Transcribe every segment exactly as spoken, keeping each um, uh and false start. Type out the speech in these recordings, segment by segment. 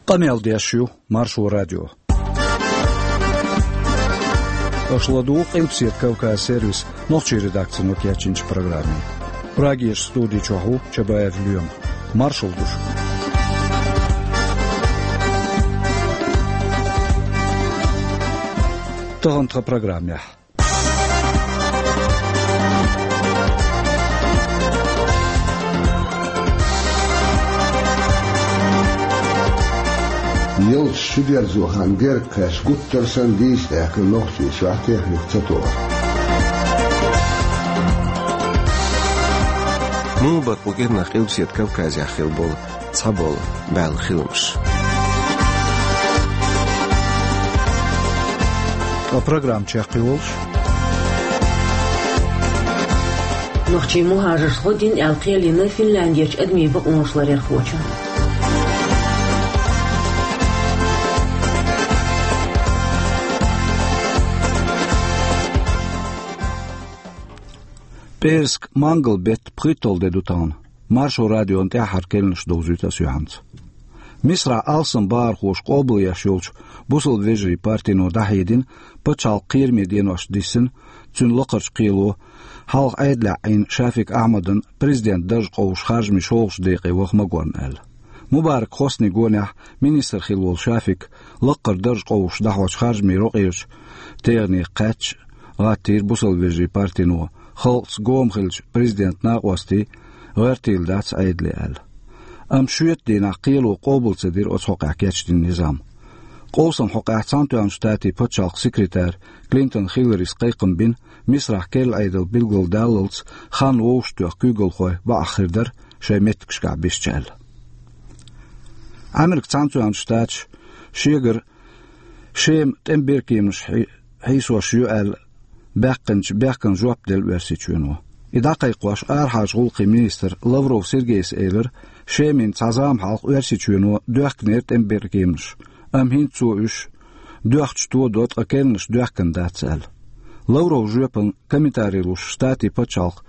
Къамел деш ю Маршо радио. Аша ладугӀу Къилбаседа Кавказ сервисан нохчийн редакцино кечйинчу программе. Прагерчу студи чохь ву Чабаев Лоьма. Маршалла ду шуьга. Тахана тхан программехь. Ялташ чудерзо хан герга кхаьчча, гуттар санна дийца даьккхина Нохчийчохь техника ца тоха. Муха бара кху кӀирнах Къилбаседа Кавказехь хилла болу цхьаболу баьлла хиламаш? Ткъа программа чекхйолуш. Нохчийн мухӀажарш гӀо дина аьлла кхел йина Финляндерчу адамийн бакъонаш ларъярхочо. ПӀераска-мангал беттан пхийтталгӀа де ду тахана. Маршо радион тӀаьххьара керланаш довзуьйту ас юьхьанца. Мисрахь алсам бахархоша къобалъеш йолчу бусалба вежарийн партино дӀахьедина пачхьалкхан кхераме деношна диссина цуьнан лакхарчу кхело, хьалха Ӏедалехь Ӏийна Шафик Ахьмадан президентан дарж къовсуш харжамийн шолгӀачу декъе ваха магорна аьлла. Мубарак Хосни гонехь министр хилла волу Шафик лаккхара дарж къовсуш дӀахьочу харжамийн рокъерачу тегӀане кхаьчча, гӀаттийра бусалба вежарийн партино, халкъаца гома хиллачу президентан накъостий гӀоьртийла дац Ӏедале аьлла. Амма шоьтан дийнахь кхело къобал ца дира оцу хьокъехь кечдина низам. Къовсам хьокъехь Цхьаьнатоьхначу Штатийн пачхьалкхан секретарь Клинтон Хилларис кхайкхам бина, Мисрахь керла Ӏедал билгалдаллалц хан вовшахтоьхна куьйгалхой бакъахь хир дара, шайн меттигашкахь бисча аьлла. Ӏамеркан Цхьаьнатоьхначу Штаташа шегара Шема тӀеман беркеманаш хьи-, хьийсош ю аьлла баьккхинчу бехкана жоп делла Оьрсийчоьно. И дӀакхайкхош, арахьарчу гӀуллакхийн министра Лавров Сергейс элира, Шемина цхьа зама хьалха Оьрсийчоьно доьхкинера тӀеман беркеманаш, амма хӀинца цо уьш доьхча тодо, ткъа керланаш доьхкина дац аьлла. Лавровн жоьпана комментари луш Штатийн пачхьалкхан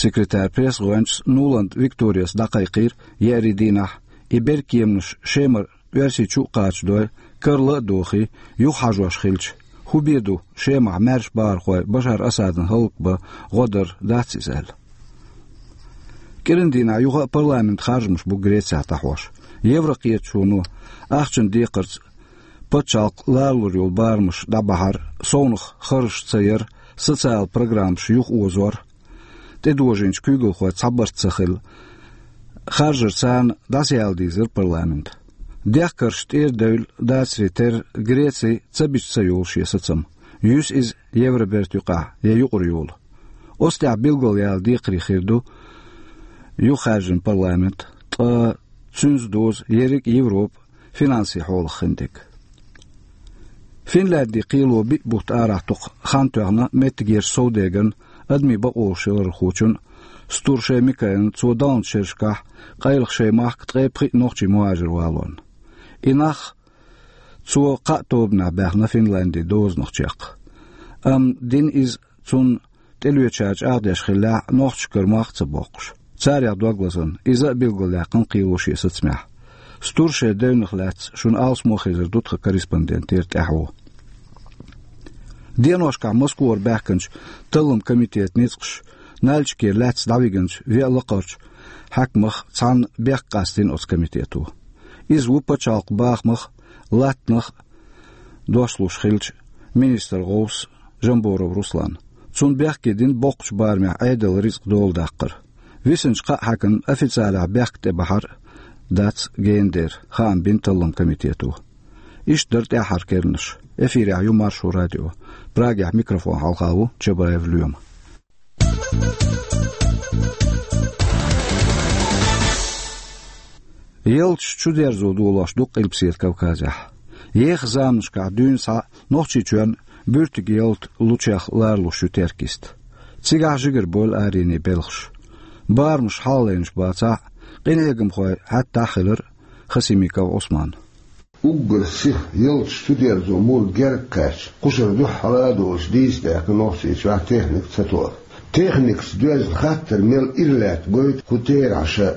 секретаран пресс-гӀоьнчас Нуланд Викторияс дӀакхайкхийра еарин дийнахь, и беркеманаш Шемара Оьрсийчу а кхачадой, карла а дохий, юхахьажош хилча, хӀун бен ду Шемахь маьрша бахархой Башар Асадна хӀаллакбан гӀо дар дац иза аьлла. КӀиран дийнахь юха а парламентан харжамаш бу Грецехь дӀахьош. Еврокхеташоно ахчанан декхарца пачхьалкх ларалур йолу барамаш дӀабахьар, совнаха харжаш ца яр, социалан программаш юхаозор, тӀедожийначу куьйгалхойн цхьа барт ца хилла, харжар царна дӀасаяла дийзира парламент. Дехкарш тӀера девлла дацаре терра, Греци ца бича ца йолу шен сацам. Юьсу иза евробертан юкъахь я юкъара йолу. Оцу тӀехь билгалъяла декхаре хир ду юхахьаьржина парламент, ткъа цуьнца дозу ерриг а Европа финансийн хьолах хиндерг. Финляндин кхело биъ бутт арахь тӀекхача хан тоьхна меттигерчу совдегарна, адамийн бакъонаш ларъярхочунна Стуршей Микаэлна, цо даханчу шерашкахь къайлаха шайн махка ткъе пхиъ нохчийн мухӀажар валорна. И нах цо кхаа тобанехь баьхна Финляндин дозанах чекх. Амма дина иза цунна тӀелоьцучара чӀагӀдеш хиллехь, нохчашкара мах а ца боккхуш. Царех дог лазарна, иза а билгалдаьккхина кхело шен сацамехь. Стуршей девнах лаьцна шуна алсамо а хезар ду тхан корреспондентера тӀаьхьо. Деношкахь Москвара баьхкинчу таллам комитетан ницкъаша Нальчикера лаьцна дӀавигинчу веа лакхарчу хьаькамах цхьанна бехк къастийна оцу комитето. Иза ву пачхьалкхан бахамах а, латтанах а дош луш хиллачу министран гӀовс Жамборов Руслан. Цунна бехке дина боккхачу барамехь Ӏедалан рицкъ доладаккхар. Висинчу кхаа хьаькамна официалехь бехк тӀебахьар дац гена дера, хаам бина таллам комитето. Иштта дара тӀаьххьара керланаш. Эфирехь ю Маршо радио. Прагехь микрофон хьалха ву Чабаев Лоьма. Ялташ чудерзо долош ду Къилбаседа Кавказехь. Еха заманашкахь дуьйна схьа Нохчийчоьнна буьртиг ялта лучех ларалуш ю Теркйист. Цигахь жигара бойла аренийн белхаш. Барамаш хьалхалайнаш бацахь а, къинхьегамхой хьаьттахь а хилира Хасимиков Ӏусман. Уггар сиха ялташ чудерзо мур герга кхаьчча, кхушара дуьххьара а долуш дийца даьккхина Нохчийчохь техника ца тоха. Техникаца доьзна хаттар мел ира лаьтта гойту кху терахьаша.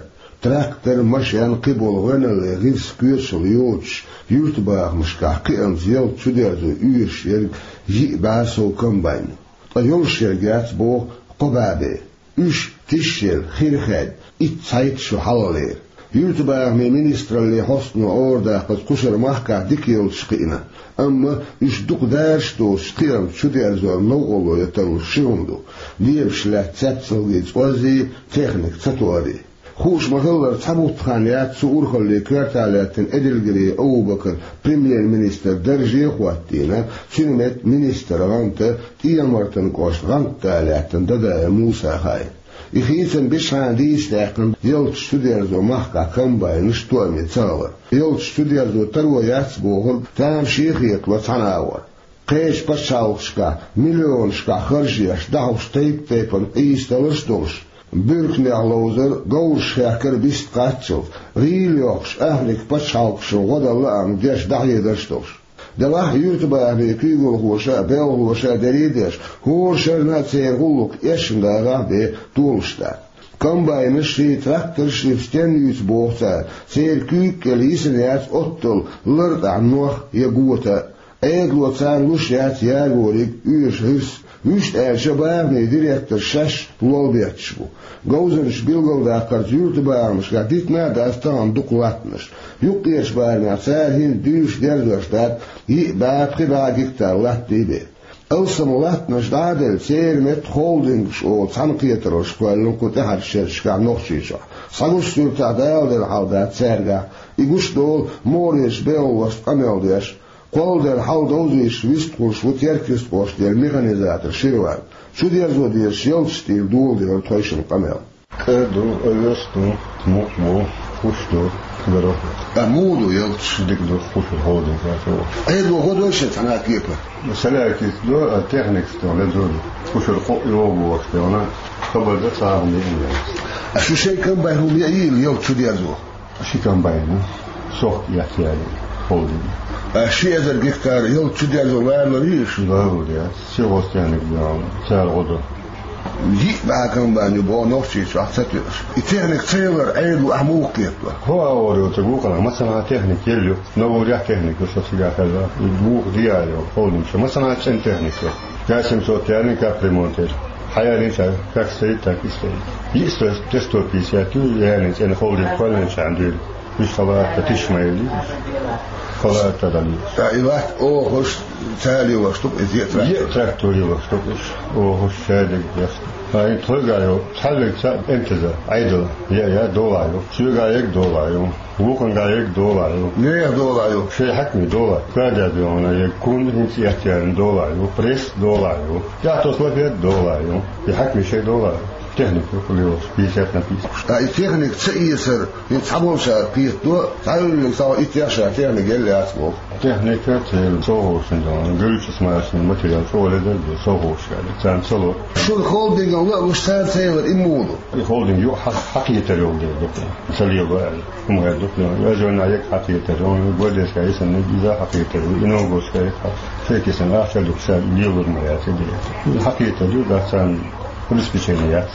Трактор, машен, кхыбола гӀоьналлин гӀирс коьчал йоцуш, юьртабахамашкахь кхиамца ялта чудерзо оьшуш ерг йиъ бӀе сов комбайн ю. Ткъа йолуш ерг яц боху кхо бӀе бен. Уьш тишъелла, хир хаьдда, итт-цхьайтта шо хьалхалера. Юьртабахамийн министраллин хьостано арадаккхарца кху шарахь махкахь дика йолуш кхиъна, амма уьш дукха дараш доцуш кхиамца чудерзорна новкъарло ян тарлуш ши хӀума ду: дебаш лаьтта цецналгий, цӀоззий, техника ца тоарий. Хууш ма-хиллара, цхьа бутт хан яц цу урхаллин коьрта лаьттина Эдилгерей Абу-Бакар премьер-министран дарже а хӀоттийна, цуьнан метта министран гӀанта, ТӀехьа-Мартан кӀоштан гӀантда лаьттина Дадаев Муса хаийна. И хийцам бишхьана дийца даьккхина ялташ чудерзо махкахь комбайнаш тоаме ца хилар. Ялташ чудерзо таро яц бохург тамашийна хетало цхьана агӀор. Кхечу пачхьалкхашкахь миллионашкахь харж еш, дӀахьош тайп-тайпана къийсадаларш а долуш, буьрканех ловзар, говраш хехкар бист кхаччалц, гӀийла йоккхуш, Африкан пачхьалкхашна гӀо дан лаам деш дӀахьедарш а долуш. Делахь а юьртабахамийн куьйгалхоша а, белхалоша а дерриг а деш, хӀора шарна а церан гӀуллакх эшна дагахь а бен долуш дац. Комбайнаш а, трактораш а стенна юьйцу боху цара, церан куьйга кӀел йисина яц оттал лартӀехь нох я гота а. Ӏедало царна луш яц ягориг, оьшу гӀирс. Вуьшта аьлча, бахамийн директорш шаьш лолбетташ бу. Говзанчаша билгалдаккхарца, юьртабахамашкахь дитина а дац тахана дукха латтанаш. Юккъерчу барамехь цара хӀинца дуьйцуш дерзош дац йиъ бӀе, пхи бӀе гектар латта бен. Алсам латтанаш дӀа а делла, церан метта холдингаш олу цхьаьнакхетараллаш кхоьллина кху тӀаьхьарчу шерашкахь Нохчийчохь. Схьагуш суьртахь, Дала делла хьал дац цаьргахь. И гуш долу Морерчу белхалошца къамел деш. Кхолладелла хьал довзуьйтуш вистхуьлуш ву Теркйист кӀоштара механизатор Ширван. Чудерзо дезаш ялташ тӀера доладелира тхойшинна къамел. КӀа ду, овес ду, мукъ бу, хӀуш ду, дара. Ткъа муха ду ялташ? Дика ду, хӀуш холдинг ду. Ӏедало гӀо дой шен цхьана а кепара? Салаьртица ду, а техникаца ду, ледур ду. ХӀушара кхоъ йогӀу бохуш ду, хабар дан цхьа а хӀума йиъна яц. А шу шайн комбайн хӀума яийла ялта чудерзо? Ши комбайн, сохка эцна яьлла, холдинг. А ши эзар гектар ялта чудерзо ларалур юй шу? Ларалур яц. Сельхозтехника бен цара гӀо до. Йиъ бӀе комбайн ю боху Нохчийчохь ца тоьуш. И техника ца ялар Ӏедало ахь муха кхетадо? ХӀо а ора йоцург вукхана, массанхьа техника елла ю. Новурехь техника ю со цигахь хезна. И вукху диа йо, холдинг шу. Массанхьа цӀена техника ю. Пять семьсот яьлла капремонт яьлла. Хьаяьллинчара как стоит, так и стоит. Йиъ сто, сто пятьдесят ю, яьллин цӀена холдинг кхоьллинчарна дуьйна. Уьш халаатта тиш ма елли. Халаатта дали. Ткъа и латта охуш цара лелош ду-кх, иза е трактор? Е трактор лелош ду-кх уьш. Охуш шадерг деш. Ай, тхойга йо, цхьаьллиг ца МТЗ, Ӏедал. Я, я, дола йо. Соьга ерг дола йо. Вукхунга ерг дола йо. Нехан дола йо. Шайн хьаькаме дола. Кадя дола, я кун хӀинца эттарна дола йо. Пресс дола йо. Тяхтос лафет дола йо. И хьаькаме шайн дола йо. Техника ю лелош, пятьдесят на пятьдесят. Ткъа и техника ца эцар, и цхьаболчара кхетадо, цхьаьллиг сов итт яхша техника елла яц боху. Техника ца елла совхозашна дан, гуьллучу машинан материал чӀогӀа ледар ду совхозашкахь, царна ца ло. Шуна холдинган ло а луш, царна ца елар и муха ду? И холдинг ю хьа-, хьакхетар йолу дела ду-кх. Ца лело аьлла, хӀума хир ду-кх. Вежойна ерг хьакхетар ю, гвардейская йисина иза хьакхетар ю, и новгородская ерг хьа-, шайкисина ахча дукха ша лелур ма яц и дела. Хьакхетар ю, дац царна обеспечение яц.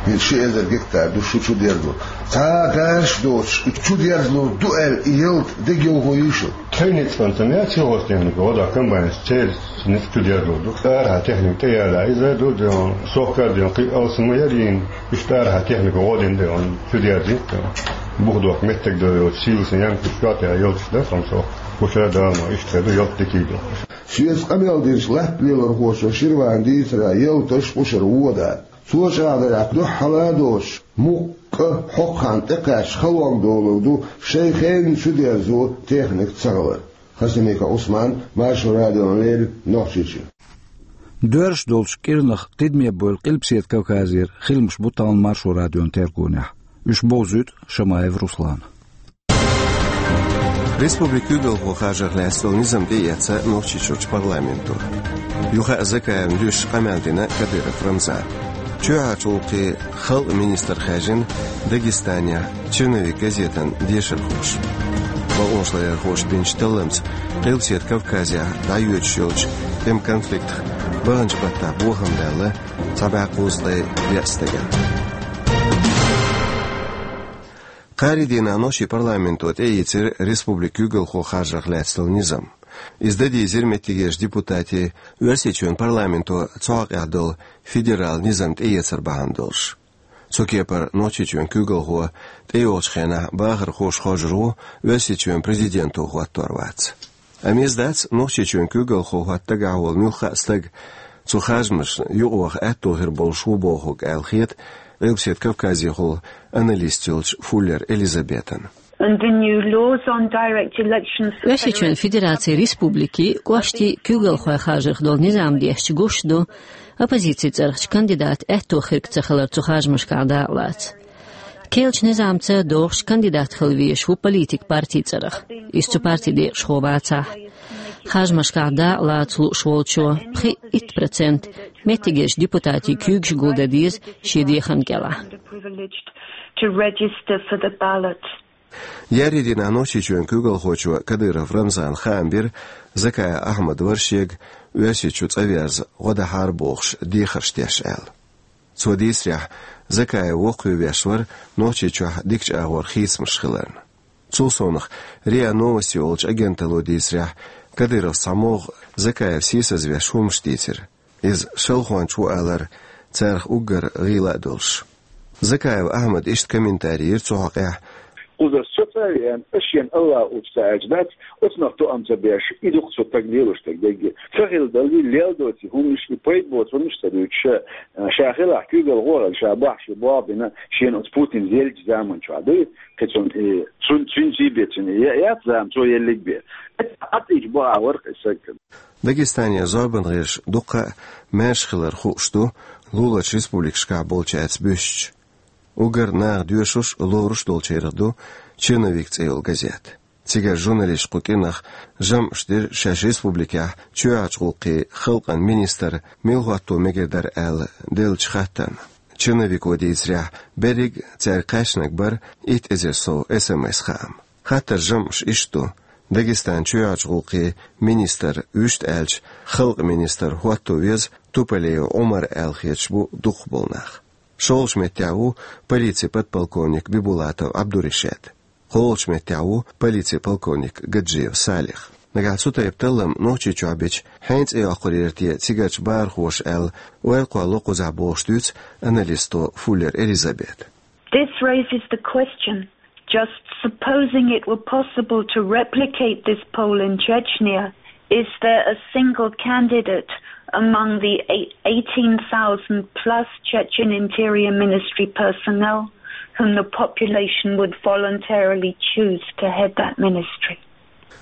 Вайн ши эзар гектар ду шу чудерзо. Цхьа а дараш доцуш, чудерзалур ду аьлла, и ялта дегайовхо юй шу? Тхайн ницкъанца мел сельхозтехника гӀо до, комбайнаш церан ницкъ чудерзалур ду. Арахьа техника тӀеяьлла, иза ду, де, сохка а де, кхин алсам ма яра йина, иштта арахьа техника гӀо дина де, чудерзийта де. Бух доккху меттиг до йоцу, сийласын янкаш чохь тӀе йолчу дан сан сох. Кхушара дама иштта хир ду, ялта дикий ду. Соьца къамел динчу латта лелорхочо Ширвана дийцарехь, ялташ кхушара вон дац. Цо чӀагӀдарехь, дуьххьара а доцуш, мукъа а, хӀокху ханна тӀекхаьчча халонга долур ду шайн хенан чудерзо техника ца хилар. Хасимиков Ӏусман, Маршо радиона леррина, Нохчийчоь. Доьрзуш долчу кӀирнах тидаме бевлла Къилбаседа Кавказера хиламаш бу тахана Маршо радион тергонехь. Уьш бовзуьйту Шамаев Руслана. Республикан куьйгалхо харжарх лаьцна долу низам тӀеэцна Нохчийчуьрчу парламенто. Юха а Закаевна дуьйцуш къамел дина Кадыров Рамзана. Чоьхьарчу гӀуллакхийн халкъан министр хаьржина Дагестанехь «Черновик» газетан дешархоша. Бакъонашларъярхоша бинчу талламца Къилбаседа Кавказехь дӀайоьдуш йолчу тӀеман конфликтах баханчу баттахь бохам баьлла цхьа бӀе кхузткъе веа стагана. Ари дийнахь нохчийн парламенто тӀеийцира республикан куьйгалхо харжарх лаьцна долу низам. Иза дан дийзира меттигерчу депутатийн Оьрсийчоьнан парламенто цу хьокъехь долу федералан низам тӀеэцар бахьана долуш. Цу кепара Нохчийчоьнан куьйгалхо тӀейогӀучу хенахь бахархоша хоржур ву, Оьрсийчоьнан президенто хӀоттор вац. Амма иза дац Нохчийчоьнан куьйгалхо хӀотта дагахь волу муьлхха а стаг цу харжамашна юкъаваха аьтто хир болуш ву бохург аьлла хета Къилбаседа Кавказехула аналист йолчу Фуллер Элизабетана. And the new laws on direct elections for Оьрсийчоьнан Федерацин республикийн, кӀоштийн куьйгалхой харжарх долу низам дешча гуш ду, оппозицин цӀарахчу кандидата аьтто хирг ца хилар цу харжамашкахь дакъалаца. Керлачу низамца догӀуш кандидат хила везаш ву политик партин цӀарах. Иза цу партин декъашхо вацахь. Харжамашкахь дакъалаца лууш волчо пхиъ-итт процент меттигерчу депутатийн куьйгаш гулдан деза шен дехарна кӀелахь. To register for the ballot. Ари дийнахь Нохчийчоьнан куьйгалхочо Кадыров Рамзана хаам бира Закаев Ахьмад вара шега Оьрсийчу цӀа верза гӀо дахьара бохуш дехарш деш аьлла. Цо дийцарехь, Закаев воккхаве веш вара Нохчийчохь дикачу агӀор хийцамаш хиларна. Цул совнаха РИА Новости олучу агенталло дийцарехь, Кадыровс цхьа могӀа Закаев сийсазвеш хӀуманаш дийцира. Иза шалхонча ву алар царах уггар гӀийла а долуш. Закаев Ахьмада иштта комментари йира цу хьокъехь: Кхузара со цӀа а веана, ас шена Аллах уьцу ца аьлча дац, оцунах тоам ца беш, и ду-кх со стаг лелош стаг дерриге. Ца хилла даллий, лелла доций хӀуманаш, и пайда боцу хӀуманаш ца дуьйцуш, ша хилахь куьйгалхо а хилла, ша бахьа шен болх а бина, шена оцу Путина еллачу заман чохь дуй, кхин цунна и, цун-, цуьнций бен цуьнан я-, яц зама, цо еллиг бен. Ӏад ийча бакъахь вара-кх и стаг. Дагестане зорбан гӀирсаш дуккха а маьрша хилар хууш ду луларчу республикашкахь болчаьрца буьстича. Уггар наха доьшуш а, лоруш а долчарех ду «Черновик» цӀе йолу газета. Цигара журналисташа кху кӀирнах жамӀаш дира шаьш республикехь чоьхьарчу гӀуллакхийн халкъан министр мила хӀотто мегар дара аьлла деллачу хаттарна. «Черновико» дийцарехь, берриг а цаьрга кхаьчнарг бара итт эзар сов эс эм эс-хаам. Хаттаран жамӀаш иштта ду: Дагестанан чоьхьарчу гӀуллакхийн министр, вуьшта аьлча, халкъан министр хӀотто веза Туполеев Ӏумар аьлла хеташ бу дукхахболу нах. ШолгӀачу меттехь ву полицин подполковник Бибулатов Ӏабдуришат. КхоалгӀачу меттехь ву полицин полковник Гаджиев Салих. Нагахь цу тайпа таллам Нохчийчохь бича, хьенан цӀе йоккхур яра те цигарчу бахархоша аьлла, ойла кхоллало кхузахь бохуш дуьйцу аналисто Фуллер Элизабета. This raises the question, just supposing it were possible to replicate this poll in Chechnya, is there a single candidate among the eight- eighteen thousand plus Chechen Interior Ministry personnel whom the population would voluntarily choose to head that ministry?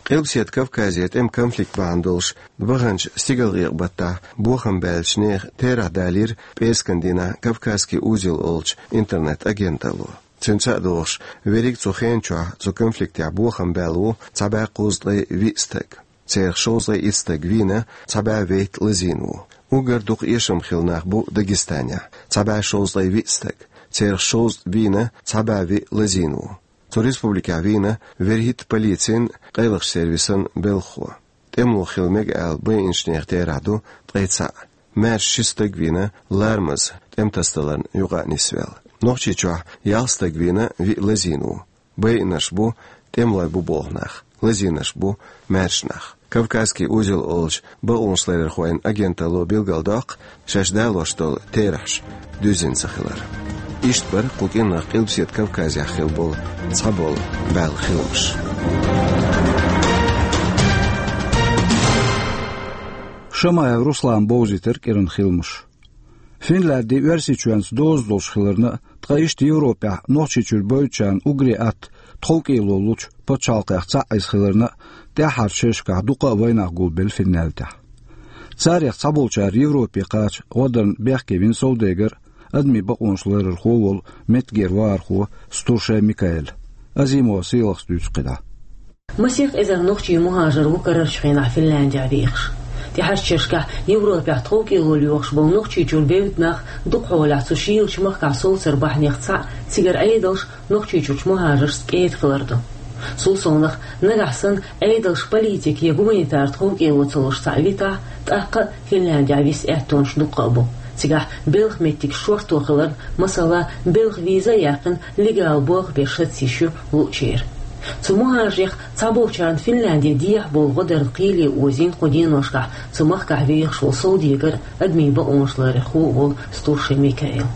Къилбаседа Кавказе тӀеман конфликт бахьана долуш ваханчу стигалкъекъа баттахь бохам баьллачу нехан терахь далийра пӀераскан дийнахь «Кавказский узел» олучу интернет-агенталло. Цуьнца а догӀуш, верриг цу хенан чохь цу конфликтехь бохам баьлла ву цхьа бӀе кхузткъе виъ стаг. Церах шовзткъе итт стаг вийна, цхьа бӀе вейтта лазийна ву. Уггар дукха эшам хилла нах бу Дагестанехь, цхьа бӀе шовзткъе виъ стаг. Церах шовзткъа вийна, цхьа бӀе виъ лазийна ву. Цу республикехь вийна вуьрхӀитта полицин, къайлахчу сервисан белхахо. ТӀемало хила мега аьлла байинчу нехан терахь ду ткъе цхьаъ. Маьрша ши стаг вийна ларамаза тӀематасадаларна юкъа а нисвелла. Нохчийчохь ялх стаг вийна, виъ лазийна ву. Байинарш бу тӀемалой бу боху нах, лазийнарш бу маьрша нах. «Кавказский узел» олучу бакъонашларъярхойн агенталло билгалдоккху шаьш далош долу терахьаш дуьззина ца хилар. Иштта бара кху кӀирнах Къилбаседа Кавказехь хилла болу цхьаболу баьлла хиламаш. Шамаев Руслана бовзийтира кӀиран хиламаш. Финляндия Оьрсийчоьнца доза долуш хиларна а, ткъа иштта Европехь Нохчийчуьра бевддачарна уггаре атта тховкӀело лучу пачхьалкхех цхьаъ иза хиларна а, тӀаьххьарчу шерашкахь дукха а вайнах гулбелла Финляндехь. Царех цхьаболчара Европе кхача гӀо дарна бехке вина совдегар а, адамийн бакъонаш ларархо а волу меттигера вахархо Стуршей Микаэль. Азимова Сийлахас дуьйцу кхидӀа. Масех эзар нохчийн мухӀажар ву карарчу хенахь Финляндехь вехаш. ТӀаьхьарчу шерашкахь Европехь тховкӀело лоьхуш болу Нохчийчуьра бевдда нах дукха хьолахь цу шийлачу махкахь совцар бахьанех цхьаъ цигара Ӏедалш Нохчийчуьрчу мухӀажаршца кӀеда хилар ду. Цул совнаха, нагахь санна Ӏедалш политика я гуманитар тховкӀело ца луш цхьаъ витахь, тӀаккха а Финляндехь виса аьттонаш дуккха а бу. Цигахь белхан меттиг шорто хиларна, масала, белхан виза а яьккхина, легал болх беш саца йиш ю луучеран. Цу мухӀажарех цхьаболчарна Финляндера дехьа болу гӀо дарна кхеле озийна кху деношкахь цу махкахь вехаш волу совдегар а, адамийн бакъонаш ларъярхо а волу Стуршин Микаил.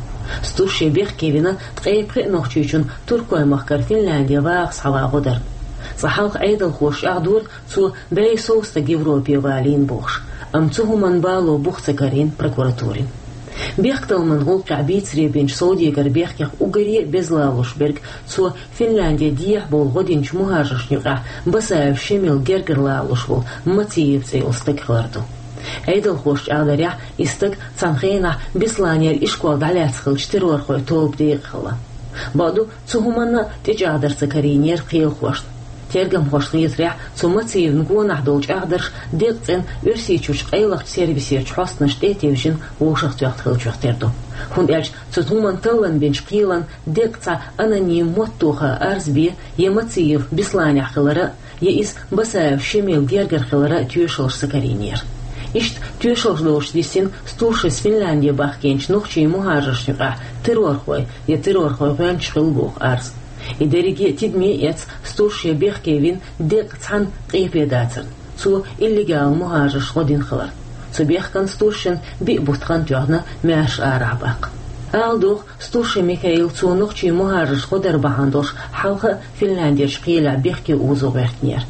Стуршин бехке вина ткъе пхи нохчичунна Туркойн махкара Финлянде ваха схьаван гӀо дарна. Цкъа хьалха Ӏедалхоша чӀагӀдора, цо бӀе сов стаг Европе валийна бохуш, амма цу хӀуманна бало бух ца карийна прокуратурина. Бехктакхаман гӀуллакхехь бийцаре бинчу совдегара бехкех уггаре а беза лалуш берг, цо Финлянде дехьа болу гӀо динчу мухӀажаршна юкъахь Басаев Шемал гергара лалуш волу Мациев цӀе йолу стаг хилар ду. Ӏедалхоша чӀагӀдарехь, и стаг цхьана хенахь Бесланера ишкол дӀалаьцна хиллачу террорхойн тоба декъа хилла. Бакъду, цу хӀуманна а тӀечӀагӀдар ца карийнера кхелахошна. Тергамхошна хетарехь, цу Мациевна гонах долу чӀагӀдарш декъацӀена Оьрсийчуьрчу къайлахчу сервисерчу хьостанашна тӀе а тевжина, вовшахтоьхна хиллачух тера ду. ХӀунда аьлча цу хӀуманна таллам бинчу кхелан декъа цхьа аноним моттаха арз бе, я Мациев Бесланехь хилар а, я иза Басаев Шемал гергара хилар а тоьшаллаш ца карийнера. Иштта тоьшаллаш долуш диссина Стуршис Финлянде бахкийначу нохчийн мухӀажаршна юкъахь террорхой я террорхойн гӀоьнчаш хилла боху арз. И дерриге а тидаме а эцна, Стуршин бехке вина декъа цхьана къепе дацарна, цо иллегал мухӀажаршна гӀо дина хиларна. Цу бехкана Стуршин биъ бутт хан тоьхна, маьрша арахь баккха. Ала догӀу, Стуршин Микаил цо нохчийн мухӀажаршна гӀо дар бахьана долуш хьалха а Финляндерчу кхелехь бехке озо гӀоьртинера.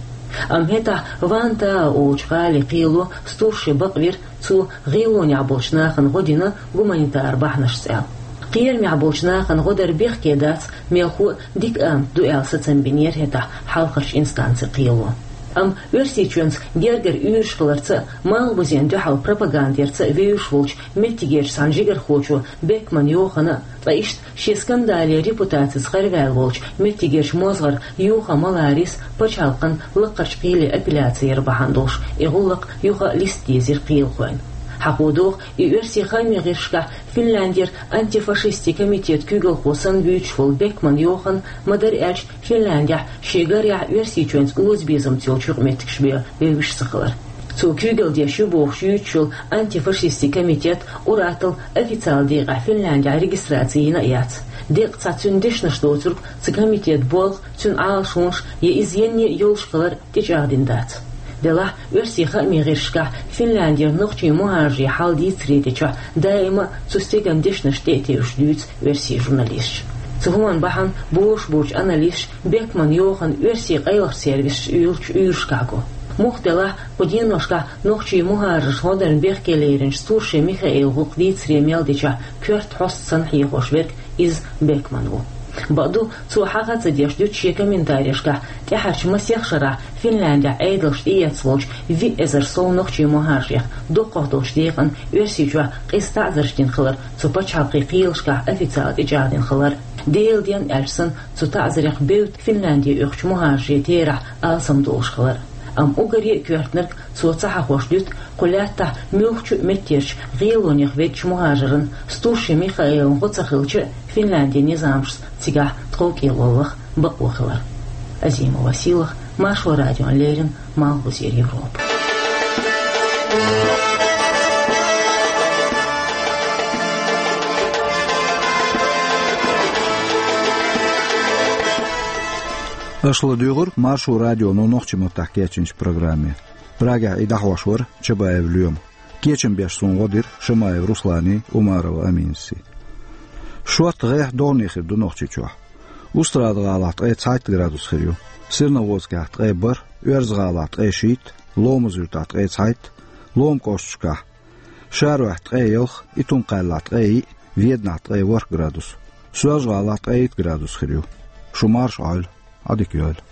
Амма хӀетахь Вантаа олучу гӀали кхело Стуршин бакъвира, цо гӀелонехь болчу нахана гӀо дина гуманитар бахьанашца аьлла. Кхерамехь болчу нахана гӀо дар бехке дац, мелхо а дика амат ду аьлла сацам бинера хӀетахь хьалхарчу инстанцин кхело. Амма Оьрсийчоьнца гергара уьйраш хиларца а, малхбузен дуьхьал пропаганда ярца а вевзаш волчу меттигерчу цхьана жигархочо Бекман Йохана а, ткъа иштта шен скандале репутацица харваьлла волчу меттигерчу мозгӀара Юха Маларис пачхьалкхан лакхарчу кхеле апелляци яр бахьана долуш, и гӀуллакх юха а листа дезира кхелахойн. Хьахо догӀу, и оьрсийн хаамийн гӀирсашкахь Финляндера антифашистийн комитет куьйгалхо санна вуьйцуш волу Бекман Йохан, ма-дарра аьлча, Финляндехь шен гарехь Оьрсийчоьнца озабезамца йолчу юкъаметтигаш бен вевзаш ца хилар. Цо куьйгалла деш ю бохуш юьйцуш йолу антифашистийн комитет ур-атталла официалан декъехь Финляндехь регистраци йина а яц. Декъа цхьа цуьнан дешнаш доцург, цу комитетан болх, цуьнан Ӏалашонаш я иза енний а йолуш хилар тӀечӀагӀдина дац. Делахь, оьрсийн хаамийн гӀирсашкахь Финляндера нохчийн мухӀажарийн хьал дийцаре дечохь даима а цу стеган дешнаш тӀе а тевжаш дуьйцу оьрсийн журналисташа. Цу хӀуманна бахьана бозуш болчу аналисташа Бекман Йохана оьрсийн къайлахчу сервисаша уьйлучу уьйрашкахь го. Муха делахь, кху деношкахь нохчийн мухӀажаршна гӀо дарна бехке леринчу Стуршин Михаилан гӀуллакх дийцаре мел дечохь коьрта хьоста санна хьехош верг иза Бекман ву. Бакъду, цо хьагӀ а ца деш дуьту шен комментарешкахь, тӀаьхьарчу масех шарахь Финляндехь Ӏедалша тӀеэцна волчу виъ эзар сов нохчийн мухӀажарех дукхах долчу декъана Оьрсийчохь къиза таӀзарш дина хилар цу пачхьалкхийн кхелашкахь официалан тӀечӀагӀдина хилар. Делан денна аьлча санна, цу таӀзарех бевдда Финлянде оьхучу мухӀажарийн терахь алсам долуш хилар. Амма уггаре а коьртаниг, цо ца хьахош дуьту, кху лаьттахь муьлххачу а меттигерчу гӀелонех веддачу мухӀажарна Стуршин Михаилан гӀо ца хилча а, Финляндин низамашца цигахь тховкӀело лаха бакъо хилар. Азима Василах, Маршо радиона леррина, Малхбузера Европа. Аша ладуьйгӀура Маршо радионо нохчийн маттахь кечйинчу программе. Прагехь и дӀахьош вара Чабаев Лоьма. Кечам беш суна гӀо дира Шамаев Русланний, Умарова Аминасий. Шортта гӀеххьа догӀане хир ду Нохчийчохь. Устрада-ГӀалахь ткъе цхьайтта градус хир ю, Серноводскехь ткъе бархӀ, Оьрза-ГӀалахь ткъе шийтта, Ломаз-Юьртахь ткъе цхьайтта, Лома кӀошташкахь, Шаройхь ткъе ялх, Итум-Кхаьллахь ткъе йиъ, Веданахь ткъе ворхӀ градус, Соьлжа-ГӀалахь ткъе итт градус хир ю. Шу марша Ӏойла, Ӏадика йойла.